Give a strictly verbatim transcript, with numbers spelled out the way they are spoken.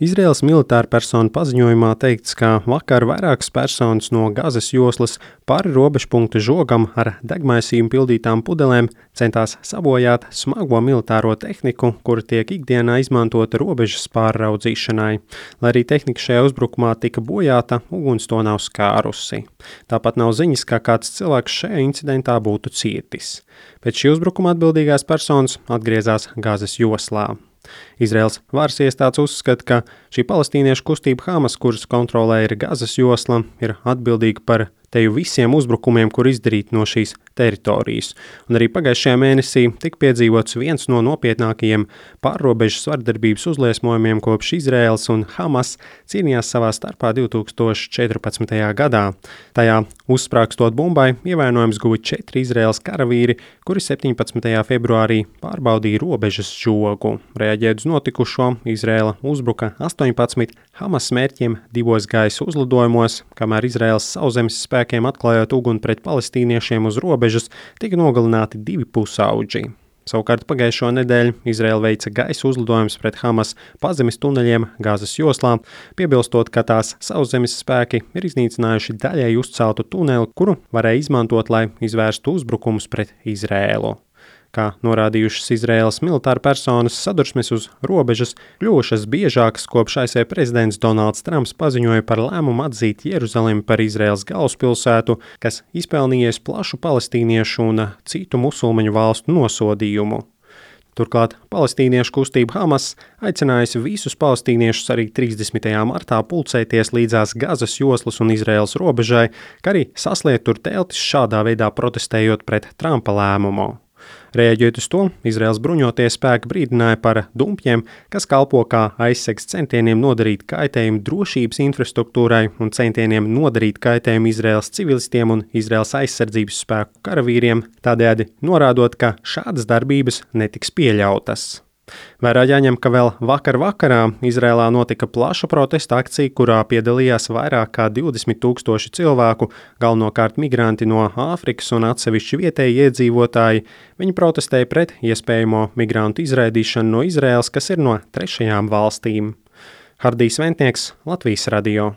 Izraēlas militāra persona paziņojumā teikts, ka vakar vairākas personas no Gazas joslas pāri robežpunkta žogam ar degmaisījumu pildītām pudelēm centās sabojāt smago militāro tehniku, kura tiek ikdienā izmantota robežas pārraudzīšanai. Lai arī tehnika šajā uzbrukumā tika bojāta, uguns to nav skārusi. Tāpat nav ziņas, ka kāds cilvēks šajā incidentā būtu cietis. Pēc šī uzbrukuma atbildīgās personas atgriezās Gazas joslā. Izraēlas varas iestādes uzskata, ka šī palestīniešu kustība Hamas, kuras kontrolē ir Gazas josla, ir atbildīga par teju visiem uzbrukumiem, kur izdarīti no šīs teritorijas. Un arī pagājušajā mēnesī tika piedzīvots viens no nopietnākajiem pārrobežas vardarbības uzliesmojumiem kopš Izraēlas un Hamas cīnījās savā starpā divi tūkstoši četrpadsmitajā gadā. Tajā uzsprāgstot bumbai ievainojums guva četri Izraēlas karavīri, kuri septiņpadsmitajā februārī pārbaudīja robežas žogu. Reaģējot uz notikušo, Izraēla uzbruka astoņpadsmit Hamas mērķiem divos gaisa uzlidojumos, kamēr Izraēlas sauszemes spēkiem atklājot uguni pret palestīniešiem uz robežas, tika nogalināti divi pusauģi. Savukārt pagājušo nedēļu Izraēla veica gaisa uzlidojums pret Hamas pazemes tuneļiem Gazas joslā, piebilstot, ka tās sauszemes spēki ir iznīcinājuši daļēji uzceltu tuneli, kuru varēja izmantot, lai izvērstu uzbrukumus pret Izraēlu. Kā norādījušas Izraēlas militāra personas, sadursmes uz robežas kļuvušas biežākas, kopš A S V prezidents Donalds Trumps paziņoja par lēmumu atzīt Jeruzalemi par Izraēlas galvaspilsētu, kas izpelnījies plašu palestīniešu un citu musulmaņu valstu nosodījumu. Turklāt palestīniešu kustība Hamas aicinājusi visus palestīniešus arī trīsdesmitajā martā pulcēties līdzās Gazas joslas un Izraēlas robežai, kā arī sasliet tur teltis, šādā veidā protestējot pret Trumpa lēmumu. Reaģējot uz to, Izraēlas bruņotie spēki brīdināja par dumpjiem, kas kalpo kā aizsegs centieniem nodarīt kaitējumu drošības infrastruktūrai un centieniem nodarīt kaitējumu Izraēlas civilistiem un Izraēlas aizsardzības spēku karavīriem, tādējādi norādot, ka šādas darbības netiks pieļautas. Vērā jāņem, ka vēl vakar vakarā Izraēlā notika plaša protesta akcija, kurā piedalījās vairāk kā divdesmit tūkstoši cilvēku, galvenokārt migranti no Āfrikas un atsevišķi vietēji iedzīvotāji. Viņi protestēja pret iespējamo migrantu izraidīšanu no Izraēlas, kas ir no trešajām valstīm. Hardijs Ventnieks, Latvijas radio.